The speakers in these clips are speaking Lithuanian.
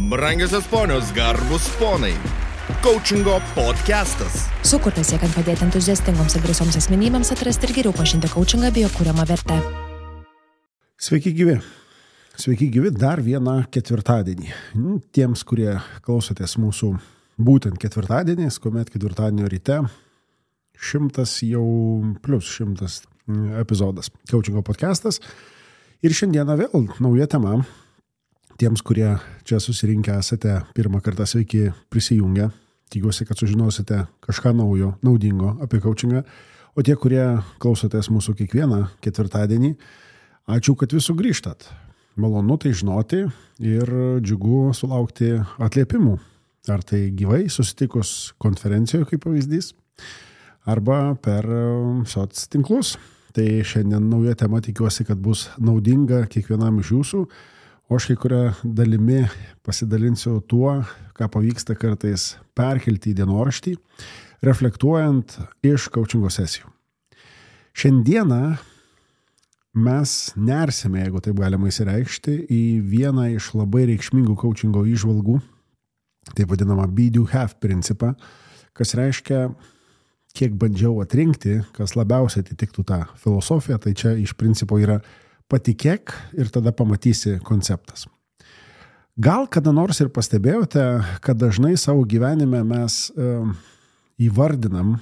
Brangiosios ponios, garbus ponai. Coachingo podcastas. Sukurtas siekiant padėti entuziastingoms ir drąsioms asmenybėms atrasti ir geriau pažinti coachingą bei jo kuriamą vertę. Sveiki gyvi dar vieną ketvirtadienį. Tiems, kurie klausotės mūsų būtent ketvirtadieniais, kuomet ketvirtadienio ryte 100 epizodas Coachingo podcastas. Ir šiandieną vėl nauja tema. Tiems, kurie čia susirinkę esate pirmą kartą, sveiki prisijungę. Tikiuosi, kad sužinosite kažką naujo, naudingo apie coachingą. O tie, kurie klausotės mūsų kiekvieną ketvirtadienį, ačiū, kad vis sugrįžtat. Malonu tai žinoti ir džiugu sulaukti atliepimų. Ar tai gyvai susitikus konferencijoje kaip pavyzdys, arba per soc tinklus. Tai šiandien nauja tema, tikiuosi, kad bus naudinga kiekvienam iš jūsų. O aš kai kuria dalimi pasidalinsiu tuo, ką pavyksta kartais perkelti į dienoraštį, reflektuojant iš coachingo sesijų. Šiandieną mes nersime, jeigu taip galima įsireikšti, į vieną iš labai reikšmingų coachingo įžvalgų, taip vadinamą be do have principą, kas reiškia, kiek bandžiau atrinkti, kas labiausiai atitiktų tą filosofiją, tai čia iš principo yra patikėk ir tada pamatysi konceptas. Gal kada nors ir pastebėjote, kad dažnai savo gyvenime mes įvardinam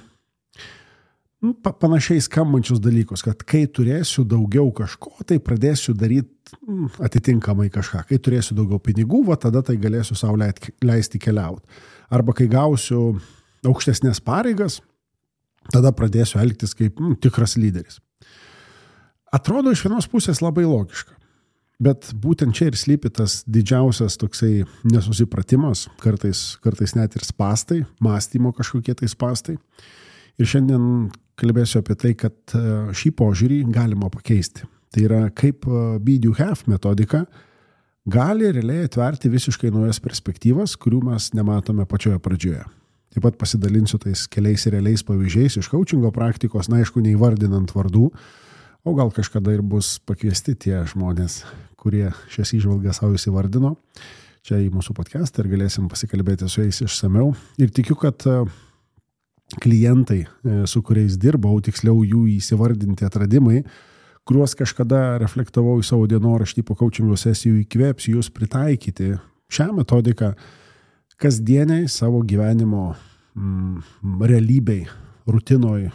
panašiai skambančius dalykus, kad kai turėsiu daugiau kažko, tai pradėsiu daryti atitinkamai kažką. Kai turėsiu daugiau pinigų, tada tai galėsiu sau leisti keliauti. Arba kai gausiu aukštesnės pareigas, tada pradėsiu elgtis kaip tikras lyderis. Atrodo iš vienos pusės labai logiška, bet būtent čia ir slypi tas didžiausias toksai nesusipratimas, kartais net ir spastai, mąstymo kažkokie tai spastai. Ir šiandien kalbėsiu apie tai, kad šį požiūrį galima pakeisti. Tai yra, kaip be do have metodika gali realiai atverti visiškai naujas perspektyvas, kurių mes nematome pačioje pradžioje. Taip pat pasidalinsiu tais keliais realiais pavyzdžiais iš coachingo praktikos, aišku, neįvardinant vardų, o gal kažkada ir bus pakviesti tie žmonės, kurie šias įžvalgas savo įsivardino čia į mūsų podcastą ir galėsim pasikalbėti su jais išsamiau. Ir tikiu, kad klientai, su kuriais dirbau, tiksliau jų įsivardinti atradimai, kuriuos kažkada reflektavau į savo dienoraštį po coachingo sesijų, įkvėps jūs pritaikyti šią metodiką kasdieniai savo gyvenimo realybei, rutinoj,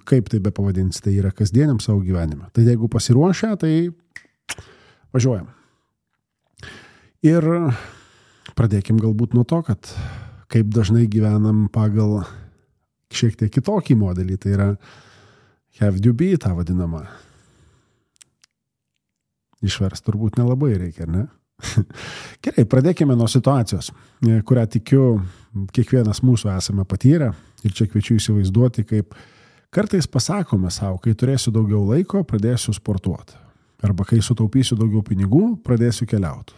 kaip tai be pavadinsi, tai yra kasdieniam savo gyvenime. Tai jeigu pasiruošę, tai važiuojam. Ir pradėkim galbūt nuo to, kad kaip dažnai gyvenam pagal šiek tiek kitokį modelį, tai yra have to be, tą vadinamą. Išverst turbūt nelabai reikia, ne? Gerai, pradėkime nuo situacijos, kurią tikiu kiekvienas mūsų esame patyrę ir čia kviečiu įsivaizduoti, kaip kartais pasakome savo, kai turėsiu daugiau laiko, pradėsiu sportuoti. Arba kai sutaupysiu daugiau pinigų, pradėsiu keliauti.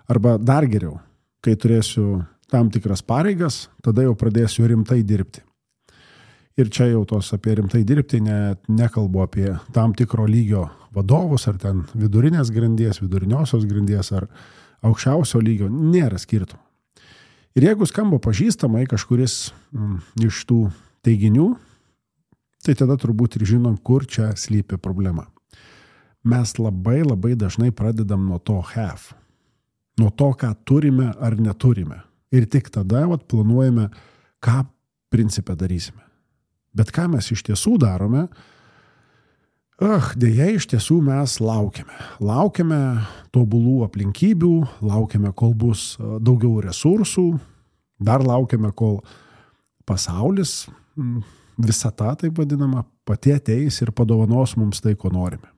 Arba dar geriau, kai turėsiu tam tikras pareigas, tada jau pradėsiu rimtai dirbti. Ir čia jau tos apie rimtai dirbti nekalbu apie tam tikro lygio vadovus, ar ten vidurinės grandies, viduriniosios grandies, ar aukščiausio lygio, nėra skirtumų. Ir jeigu skamba pažįstamai kažkuris iš tų teiginių, tai tada turbūt ir žinom, kur čia slypi problema. Mes labai dažnai pradedam nuo to have, nuo to, ką turime ar neturime. Ir tik tada planuojame, ką principe darysime. Bet ką mes iš tiesų darome, deja iš tiesų mes laukiame. Laukiame tobulų aplinkybių, laukiame, kol bus daugiau resursų, dar laukiame, kol pasaulis, visata, taip vadinama, pati ateis ir padovanos mums tai, ko norime.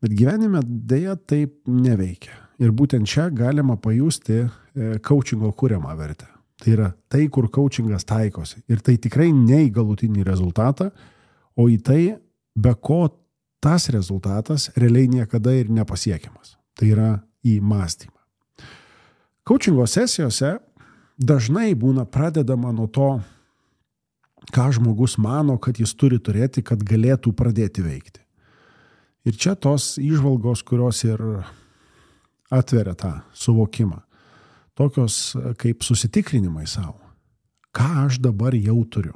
Bet gyvenime deja taip neveikia. Ir būtent čia galima pajusti coachingo kuriamą vertę. Tai yra tai, kur coachingas taikosi. Ir tai tikrai ne į galutinį rezultatą, o į tai, be ko tas rezultatas realiai niekada ir nepasiekiamas. Tai yra į mąstymą. Coachingo sesijose dažnai būna pradedama nuo to, ką žmogus mano, kad jis turi turėti, kad galėtų pradėti veikti. Ir čia tos įžvalgos, kurios ir atveria tą suvokimą. Tokios kaip susitikrinimai savo. Ką aš dabar jau turiu?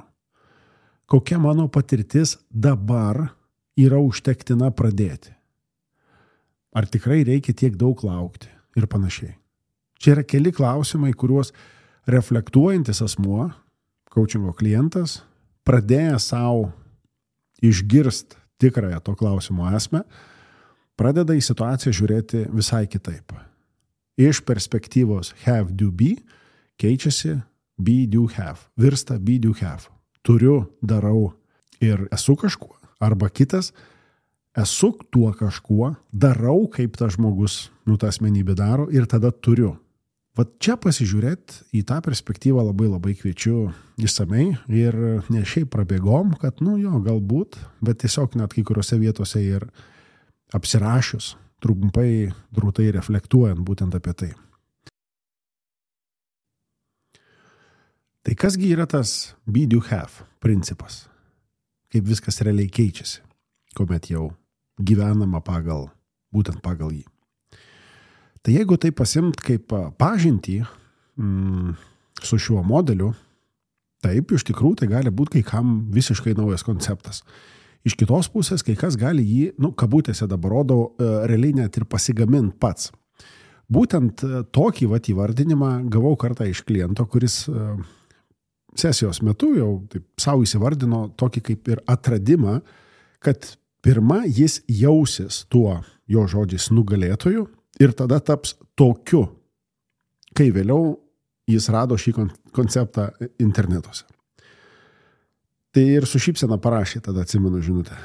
Kokia mano patirtis dabar yra užtektina pradėti? Ar tikrai reikia tiek daug laukti? Ir panašiai. Čia yra keli klausimai, kuriuos reflektuojantis asmuo, coachingo klientas, pradėjęs savo išgirst tikrąją to klausimo esmę, pradeda į situaciją žiūrėti visai kitaip. Iš perspektyvos have, do, be keičiasi be, do, have. Virsta be, do, have. Turiu, darau ir esu kažkuo. Arba kitas, esu tuo kažkuo, darau kaip tas žmogus, ta asmenybė daro ir tada turiu. Vat čia pasižiūrėti į tą perspektyvą labai kviečiu išsamei ir ne šiaip prabėgom, kad galbūt, bet tiesiog net kai kuriuose vietose ir apsirašius, trumpai, drūtai reflektuojant būtent apie tai. Tai kasgi yra tas be, do, have principas? Kaip viskas realiai keičiasi, kuomet jau gyvenama būtent pagal jį. Tai jeigu tai pasimt kaip pažintį su šiuo modeliu, taip, iš tikrųjų tai gali būti kai kam visiškai naujas konceptas. Iš kitos pusės, kai kas gali jį, kabutėse dabar rodau, realiai net ir pasigamint pats. Būtent tokį įvardinimą gavau kartą iš kliento, kuris sesijos metu jau taip savo įsivardino tokį kaip ir atradimą, kad pirma jis jausis tuo jo žodžiais nugalėtoju ir tada taps tokiu, kai vėliau jis rado šį konceptą internetuose. Tai ir su šypsena parašė, tada atsimenu žinutę.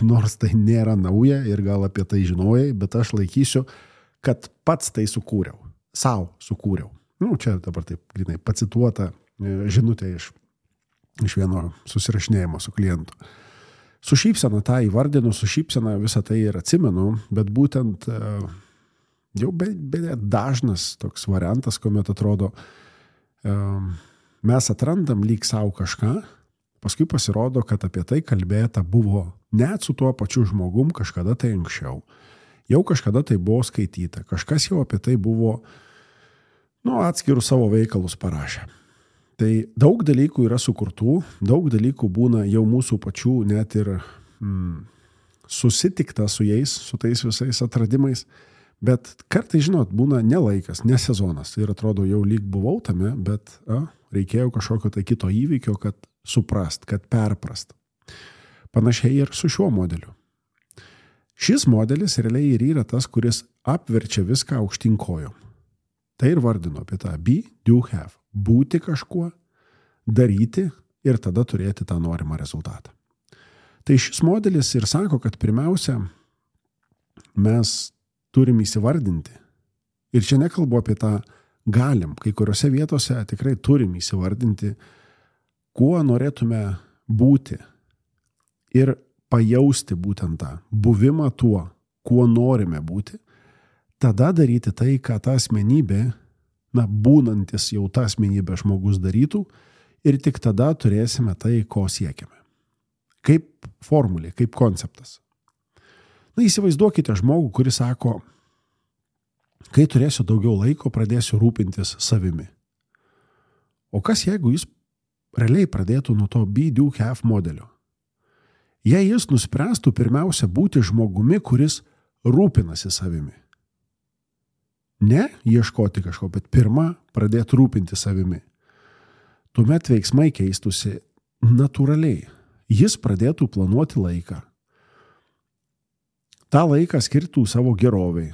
Nors tai nėra nauja ir gal apie tai žinojai, bet aš laikysiu, kad pats tai sukūriau. Sau sukūriau. Čia dabar taip grinai pacituota žinutė iš vieno susirašinėjimo su klientu. Su šypsena tą įvardinu, su šypsena visą tai ir atsimenu, bet būtent jau dažnas toks variantas, kuomet atrodo, mes atrandam lyg savo kažką, paskui pasirodo, kad apie tai kalbėta buvo net su tuo pačiu žmogum kažkada tai anksčiau. Jau kažkada tai buvo skaityta, kažkas jau apie tai buvo atskirus savo veikalus parašę. Tai daug dalykų yra sukurtų, daug dalykų būna jau mūsų pačių net ir susitikta su jais, su tais visais atradimais, bet kartais, būna ne laikas, ne sezonas ir atrodo jau lyg buvau tame, bet reikėjo kažkokio tai kito įvykio, kad suprast, kad perprast. Panašiai ir su šiuo modeliu. Šis modelis realiai ir yra tas, kuris apverčia viską aukštyn kojom. Tai ir vardino apie tą be, do, have. Būti kažkuo, daryti ir tada turėti tą norimą rezultatą. Tai šis modelis ir sako, kad pirmiausia, mes turim įsivardinti. Ir čia nekalbu apie tą galim, kai kuriuose vietose tikrai turim įsivardinti, kuo norėtume būti ir pajausti būtent tą buvimą tuo, kuo norime būti, tada daryti tai, ką ta asmenybė, būnantis jau tą asmenybę žmogus darytų ir tik tada turėsime tai, ko siekiame. Kaip formulė, kaip konceptas. Įsivaizduokite žmogų, kuris sako, kai turėsiu daugiau laiko, pradėsiu rūpintis savimi. O kas jeigu jis realiai pradėtų nuo to be, do, have modelio? Jei jis nuspręstų pirmiausia būti žmogumi, kuris rūpinasi savimi. Ne ieškoti kažko, bet pirma pradėti rūpinti savimi. Tuomet veiksmai keistusi natūraliai. Jis pradėtų planuoti laiką. tą laiką skirtų savo geroviai.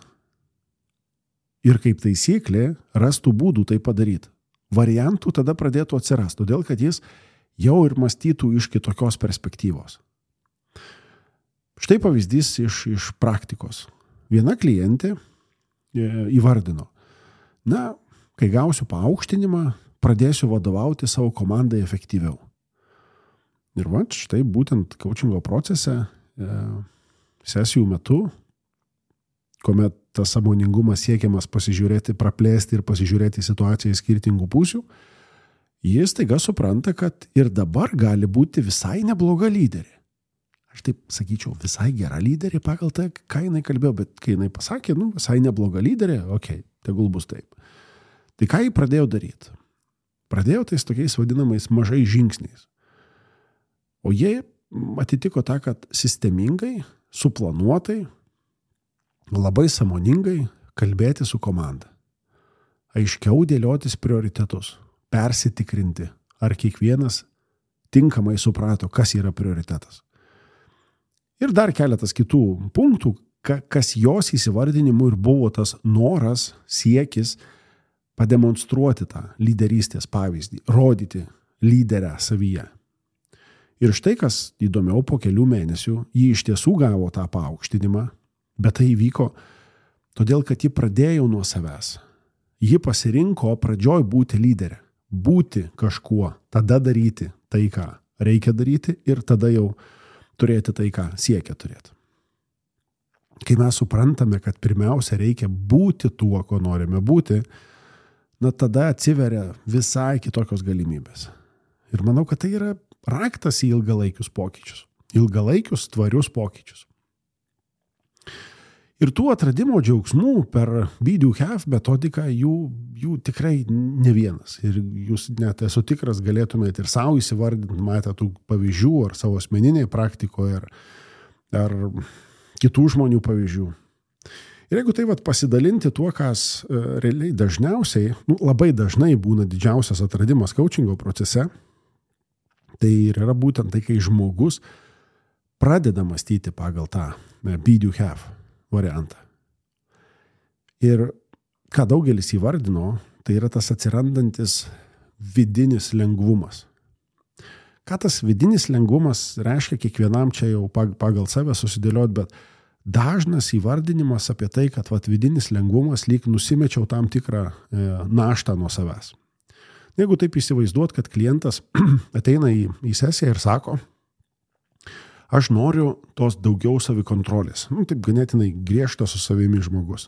Ir kaip taisyklė, rastų būdų tai padaryti. Variantų tada pradėtų atsirasti, todėl kad jis jau ir mąstytų iš kitokios perspektyvos. Štai pavyzdys iš praktikos. Viena klientė įvardino, kai gausiu paaukštinimą, pradėsiu vadovauti savo komandai efektyviau. Ir štai būtent coachingo procese, sesijų metu, kuomet tas sąmoningumas siekiamas pasižiūrėti, praplėsti ir pasižiūrėti situaciją į skirtingų pusių, jis taiga supranta, kad ir dabar gali būti visai nebloga lyderė. aš taip sakyčiau, visai gera lyderė pagal tai, ką jinai kalbėjo, bet kai jinai pasakė, visai nebloga lyderė, okei, tegul bus taip. Tai ką jį pradėjo daryti? Pradėjo tais tokiais vadinamais mažais žingsniais. O jie atitiko tą, kad sistemingai, suplanuotai, labai sąmoningai kalbėti su komanda. Aiškiau dėliotis prioritetus, persitikrinti, ar kiekvienas tinkamai suprato, kas yra prioritetas. Ir dar keletas kitų punktų, kas jos įsivardinimu ir buvo tas noras, siekis pademonstruoti tą lyderystės pavyzdį, rodyti lyderę savyje. Ir štai kas įdomiau, po kelių mėnesių ji iš tiesų gavo tą paaukštinimą, bet tai įvyko todėl, kad ji pradėjo nuo savęs. Ji pasirinko pradžioj būti lyderė, būti kažkuo, tada daryti tai, ką reikia daryti ir tada jau turėti tai, ką siekia turėti. Kai mes suprantame, kad pirmiausia reikia būti tuo, ko norime būti, tada atsiveria visai kitokios galimybės. Ir manau, kad tai yra raktas į ilgalaikius pokyčius. Ilgalaikius, tvarius pokyčius. Ir tų atradimo džiaugsmų per Be Do Have metodiką jų tikrai ne vienas. Ir jūs net esu tikras galėtumėte ir savo įsivardinti, matę tų pavyzdžių ar savo asmeninėje praktikoje ar kitų žmonių pavyzdžių. Ir jeigu tai pasidalinti tuo, kas realiai dažniausiai, labai dažnai būna didžiausias atradimas coachingo procese, tai yra būtent tai, kai žmogus pradeda mąstyti pagal tą Be Do Have variantą. Ir ką daugelis įvardino, tai yra tas atsirandantis vidinis lengvumas. Ką tas vidinis lengvumas reiškia, kiekvienam čia jau pagal save susidėliot, bet dažnas įvardinimas apie tai, kad vidinis lengvumas lyg nusimečiau tam tikrą naštą nuo savęs. Jeigu taip įsivaizduot, kad klientas ateina į sesiją ir sako, aš noriu tos daugiau savikontrolės. Taip ganėtinai griežtas su savimi žmogus.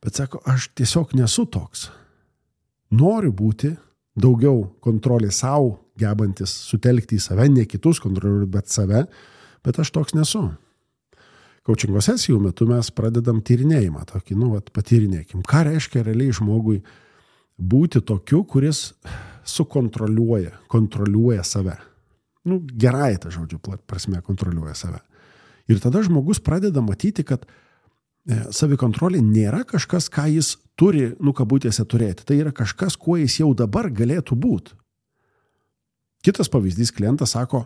Bet sako, aš tiesiog nesu toks. Noriu būti daugiau kontrolės savo, gebantis sutelkti į save, ne kitus kontroliuoti, bet save, bet aš toks nesu. Coachingo sesijų metu mes pradedam tyrinėjimą tokį, patyrinėkim. Ką reiškia realiai žmogui būti tokiu, kuris kontroliuoja save. Gerai ta žodžiu prasme kontroliuoja save. Ir tada žmogus pradeda matyti, kad savikontrolė nėra kažkas, ką jis turi, kabutėse turėti. Tai yra kažkas, kuo jis jau dabar galėtų būti. Kitas pavyzdys, klientas sako,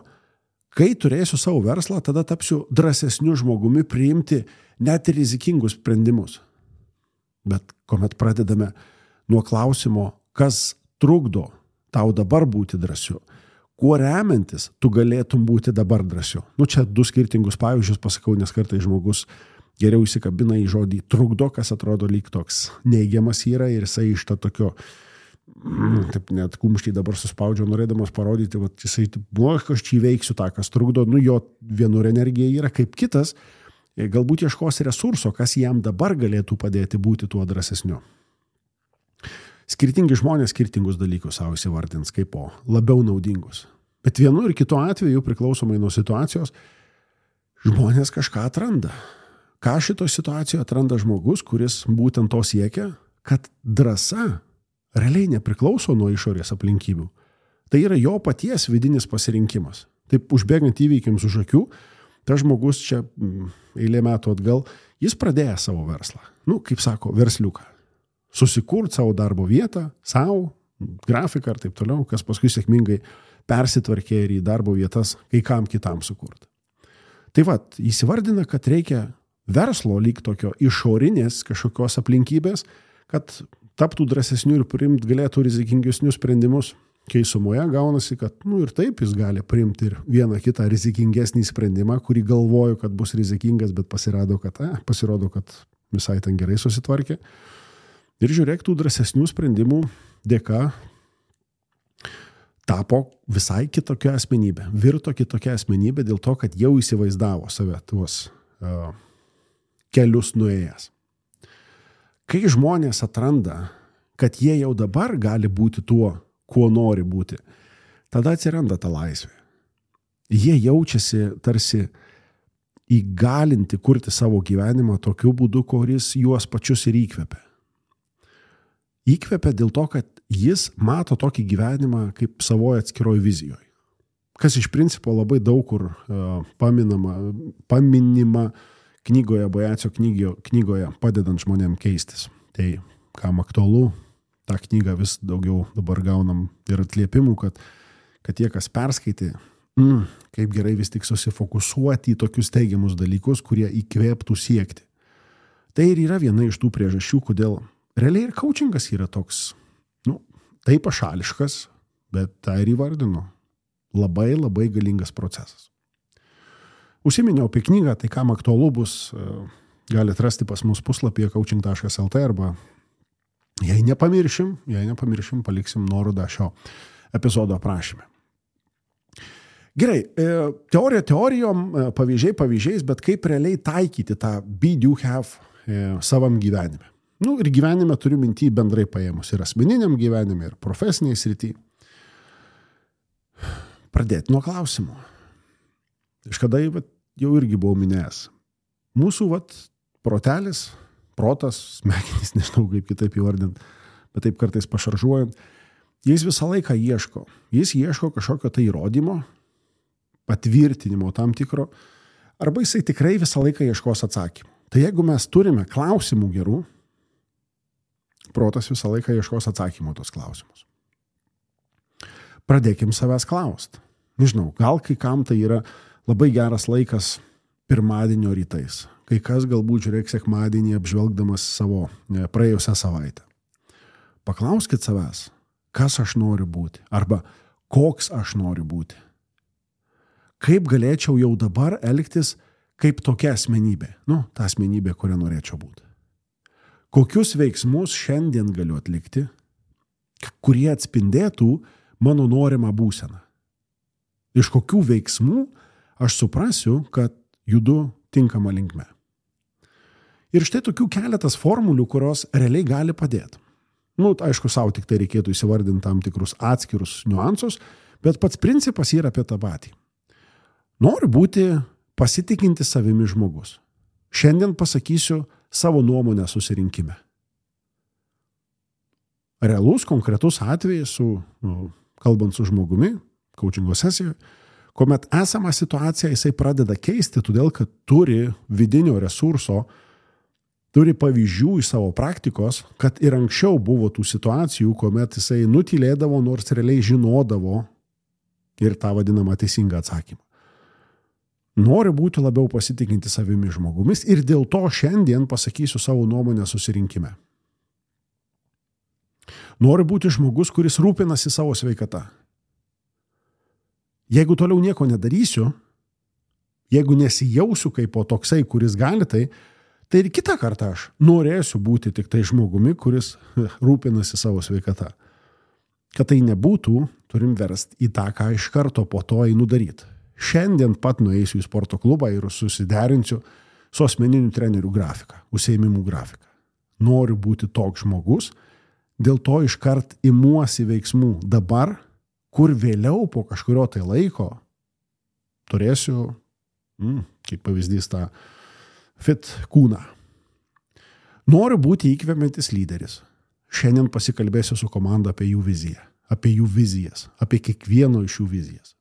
kai turėsiu savo verslą, tada tapsiu drąsesniu žmogumi priimti net ir rizikingus sprendimus. Bet kuomet pradedame nuo klausimo, kas trukdo tau dabar būti drąsiu, kuo remiantis tu galėtum būti dabar drąsiu. Čia du skirtingus pavyzdžius pasakau, nes kartais žmogus geriau įsikabina į žodį trukdo, kas atrodo lyg toks neigiamas yra ir jisai iš to tokio taip net kumštį dabar suspaudžiau, norėdamas parodyti, jisai, aš čia įveiksiu tą, kas trukdo, jo vienur energija yra kaip kitas, galbūt ieškos resurso, kas jam dabar galėtų padėti būti tuo drąsesniu. Skirtingi žmonės skirtingus dalykus savo įsivardins kaip labiau naudingus. Bet vienu ir kitu atveju, priklausomai nuo situacijos, žmonės kažką atranda. Ką šito situacijoje atranda žmogus, kuris būtent to siekia, kad drąsa realiai nepriklauso nuo išorės aplinkybių. Tai yra jo paties vidinis pasirinkimas. Taip užbėgant įvykiams už akių, tas žmogus čia eilė metų atgal, jis pradėjo savo verslą. Kaip sako, versliuką. Susikurti savo darbo vietą, savo, grafiką ir taip toliau, kas paskui sėkmingai persitvarkė ir į darbo vietas kai kam kitam sukurti. Tai įsivardina, kad reikia verslo lyg tokio išorinės kažkokios aplinkybės, kad taptų drąsesnių ir priimti galėtų rizikingesnius sprendimus, kai sumoje gaunasi, kad ir taip jis gali priimti ir vieną kitą rizikingesnį sprendimą, kurį galvoju, kad bus rizikingas, bet pasirodo, kad visai ten gerai susitvarkė. Ir žiūrėk, tų drąsesnių sprendimų dėka tapo visai kitokia asmenybė. Virto kitokia asmenybė dėl to, kad jau įsivaizdavo save tuos kelius nuėjęs. Kai žmonės atranda, kad jie jau dabar gali būti tuo, kuo nori būti, tada atsiranda ta laisvė. Jie jaučiasi tarsi įgalinti kurti savo gyvenimą tokiu būdu, kuris juos pačius ir įkvepia. Įkvepia dėl to, kad jis mato tokį gyvenimą kaip savoje atskiroje vizijoje. Kas iš principo labai daug kur paminima knygoje, Bojacio knygoje, padedant žmonėm keistis. Tai, kam aktualu, tą knygą vis daugiau dabar gaunam ir atliepimų, kad tie, kas perskaitė, kaip gerai vis tik susifokusuoti į tokius teigiamus dalykus, kurie įkvėptų siekti. Tai ir yra viena iš tų priežasčių, kodėl realiai ir coachingas yra toks, tai pašališkas, bet tai ir įvardinu. Labai, labai galingas procesas. Užsiminiau apie knygą, tai kam aktualu bus, galite rasti pas mus puslapyje coaching.lt arba jei nepamiršim, paliksim nuorodą šio epizodo aprašyme. Gerai, teorija teorijom, pavyzdžiai pavyzdžiais, bet kaip realiai taikyti tą be, do, have savam gyvenime. Ir gyvenime turiu mintį bendrai paėmus ir asmeniniam gyvenime, ir profesiniai srity. Pradėti nuo klausimų. Kažkada jau irgi buvau minėjęs. Mūsų protelis, protas, smegenys, nežinau kaip kitaip įvardint, bet taip kartais pašaržuojant, jis visą laiką ieško. Jis ieško kažkokio tai įrodymo, patvirtinimo tam tikro, arba jisai tikrai visą laiką ieškos atsakymų. Tai jeigu mes turime klausimų gerų, protas visą laiką ieškos atsakymų tos klausimus. Pradėkim savęs klaust. Nežinau, gal kai kam tai yra labai geras laikas pirmadienio rytais. Kai kas galbūt žiūrėk sekmadienį apžvelgdamas savo praėjusią savaitę. Paklauskit savęs, kas aš noriu būti, arba koks aš noriu būti. Kaip galėčiau jau dabar elgtis kaip tokia asmenybė, ta asmenybė, kurią norėčiau būti. Kokius veiksmus šiandien galiu atlikti, kurie atspindėtų mano norimą būseną. Iš kokių veiksmų aš suprasiu, kad judu tinkama linkme. Ir štai tokių keletas formulių, kurios realiai gali padėti. Aišku, savo tik tai reikėtų įsivardinti tam tikrus atskirus niuansus, bet pats principas yra apie tą patį. Noriu būti pasitikinti savimi žmogus. Šiandien pasakysiu savo nuomonę susirinkime. Realus, konkretus atvejis, kalbant su žmogumi, coachingo sesijoje, kuomet esamą situaciją jisai pradeda keisti, todėl kad turi vidinio resurso, turi pavyzdžių iš savo praktikos, kad ir anksčiau buvo tų situacijų, kuomet jisai nutylėdavo, nors realiai žinodavo ir tą vadinamą teisingą atsakymą. Noriu būti labiau pasitikinti savimi žmogumis ir dėl to šiandien pasakysiu savo nuomonę susirinkime. Noriu būti žmogus, kuris rūpinasi savo sveikata. Jeigu toliau nieko nedarysiu, jeigu nesijausiu kaip po toksai, kuris gali tai ir kitą kartą aš norėsiu būti tik tai žmogumi, kuris rūpinasi savo sveikata. Kad tai nebūtų, turim versti į tą, ką iš karto po to einu daryti. Šiandien pat nueisiu į sporto klubą ir susiderinsiu su asmeniniu treneriu grafiką, užsiėmimų grafiką. Noriu būti toks žmogus, dėl to iškart imuosi veiksmų dabar, kur vėliau po kažkurio tai laiko turėsiu, kaip pavyzdys, tą fit kūną. Noriu būti įkvepiantis lyderis. Šiandien pasikalbėsiu su komanda apie jų viziją, apie jų vizijas, apie kiekvieno iš jų vizijas.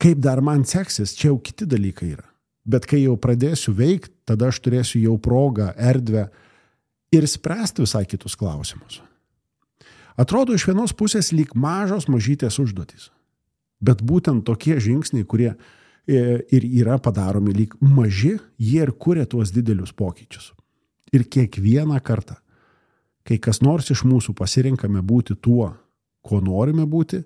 Kaip dar man seksis, čia jau kiti dalykai yra. Bet kai jau pradėsiu veikti, tada aš turėsiu jau progą, erdvę ir spręsti visai kitus klausimus. Atrodo iš vienos pusės lyg mažos mažytės užduotys. Bet būtent tokie žingsniai, kurie ir yra padaromi lyg maži, jie ir kuria tuos didelius pokyčius. Ir kiekvieną kartą, kai kas nors iš mūsų pasirinkame būti tuo, ko norime būti,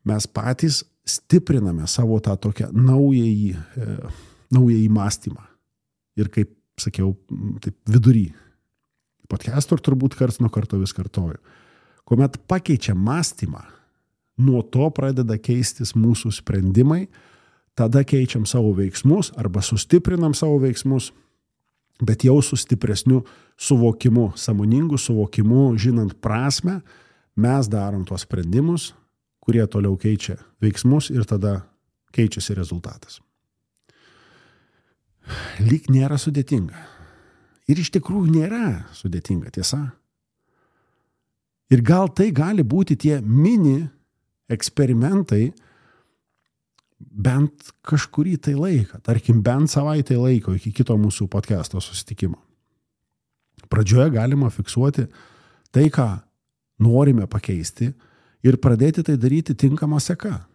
mes patys stipriname savo tą tokią naująjį mąstymą. Ir kaip sakiau, taip vidury. Podcastor turbūt karts nuo karto vis kartoju. Kuomet pakeičiam mąstymą, nuo to pradeda keistis mūsų sprendimai, tada keičiam savo veiksmus arba sustiprinam savo veiksmus, bet jau su stipresniu suvokimu, sąmoningu suvokimu, žinant prasmę, mes darom tuos sprendimus, kurie toliau keičia veiksmus ir tada keičiasi rezultatas. Lyg nėra sudėtinga. Ir iš tikrųjų nėra sudėtinga, tiesa. Ir gal tai gali būti tie mini eksperimentai bent kažkurį tai laiką, tarkim bent savaitę laiko iki kito mūsų podcasto susitikimo. Pradžioje galima fiksuoti tai, ką norime pakeisti ir pradėti tai daryti tinkamą seka.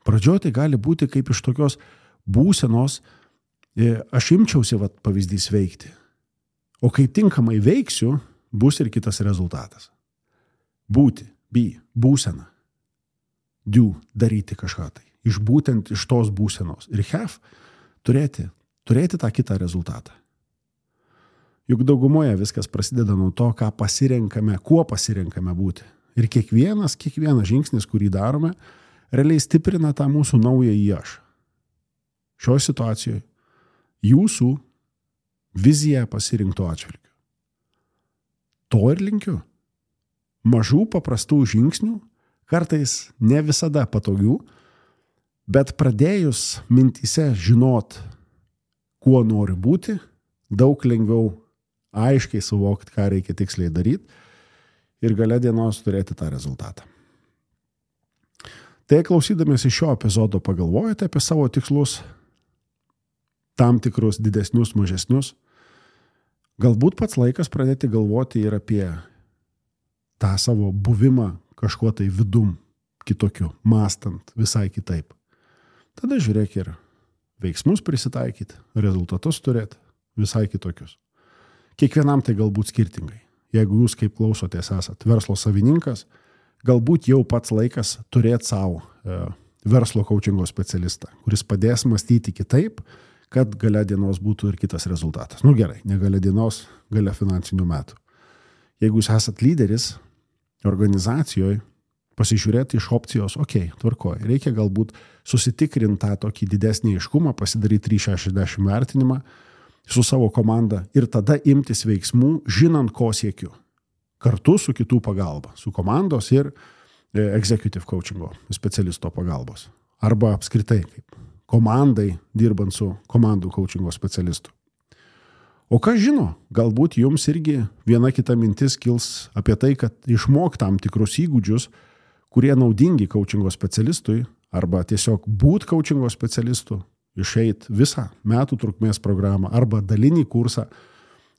Pradžioje tai gali būti kaip iš tokios būsenos, aš imčiausi pavyzdys veikti. O kai tinkamai veiksiu, bus ir kitas rezultatas. Būti, būsena. Do, daryti kažką tai. Būtent iš tos būsenos. Ir have, turėti tą kitą rezultatą. Juk daugumoje viskas prasideda nuo to, kuo pasirenkame būti. Ir kiekvienas žingsnis, kurį darome, realiai stiprina tą mūsų naująjį aš. Šioje situacijoje jūsų vizija pasirinkto atžvilgiu. To ir linkiu. Mažų paprastų žingsnių, kartais ne visada patogių, bet pradėjus mintyse žinot, kuo nori būti, daug lengviau aiškiai suvokti, ką reikia tiksliai daryti ir gale dienos turėti tą rezultatą. Tai klausydamėsi šio epizodo pagalvojate apie savo tikslus, tam tikrus didesnius, mažesnius. Galbūt pats laikas pradėti galvoti ir apie tą savo buvimą kažkuo tai vidum kitokiu, mąstant visai kitaip. Tada žiūrėk ir veiksmus prisitaikyti, rezultatus turėti visai kitokius. Kiekvienam tai galbūt skirtingai. Jeigu jūs kaip klausotės esat verslo savininkas, galbūt jau pats laikas turėti savo verslo coachingo specialistą, kuris padės mąstyti kitaip, kad gale dienos būtų ir kitas rezultatas. Gerai, ne gale dienos, gale finansinių metų. Jeigu jūs esat lyderis organizacijoje, pasižiūrėti iš opcijos, tvarkoj, reikia galbūt susitikrinti tą tokį didesnį aiškumą, pasidaryti 360 vertinimą su savo komanda ir tada imtis veiksmų, žinant, ko siekiu. Kartu su kitų pagalba, su komandos ir executive coachingo specialisto pagalbos. Arba apskritai kaip komandai dirbant su komandų coachingo specialistu. O kas žino, galbūt jums irgi viena kita mintis kils apie tai, kad išmok tam tikrus įgūdžius, kurie naudingi coachingo specialistui, arba tiesiog būt coachingo specialistu, išeit visą metų trukmės programą, arba dalinį kursą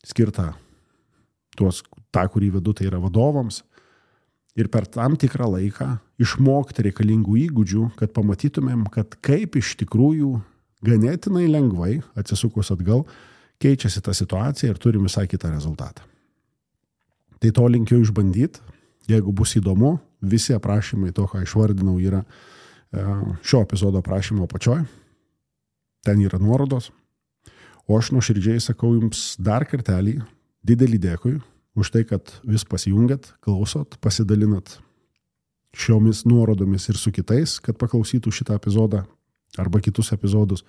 skirtą tą, kurį vedu, tai yra vadovams, ir per tam tikrą laiką išmokti reikalingų įgūdžių, kad pamatytumėm, kad kaip iš tikrųjų ganėtinai lengvai, atsisukus atgal, keičiasi ta situacija ir turim visai kitą rezultatą. Tai to linkiu išbandyti. Jeigu bus įdomu, visi aprašymai to, ką išvardinau, yra šio epizodo aprašymo apačioj. Ten yra nuorodos. O aš nuoširdžiai sakau jums dar kartelį didelį dėkui už tai, kad vis pasijungiat, klausot, pasidalinat šiomis nuorodomis ir su kitais, kad paklausytų šitą epizodą arba kitus epizodus.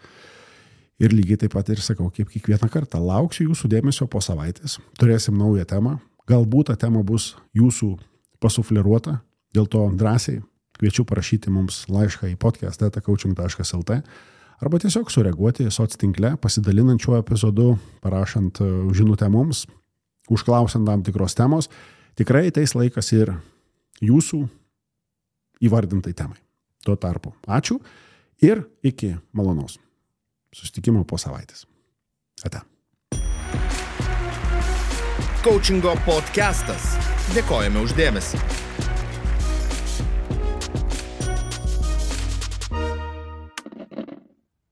Ir lygiai taip pat ir sakau, kaip kiekvieną kartą, lauksiu jūsų dėmesio po savaitės. Turėsim naują temą. Galbūt ta tema bus jūsų pasufleruota, dėl to drąsiai kviečiu parašyti mums laišką į podcast@coaching.lt arba tiesiog sureaguoti soc tinkle, pasidalinant šiuo epizodu, parašant žinutę mums, užklausiant tam tikros temos. Tikrai ateis laikas ir jūsų įvardintai temai. Tuo tarpu ačiū ir iki malonaus susitikimo po savaitės. Ate. Coachingo podcastas. Dėkojame už dėmesį.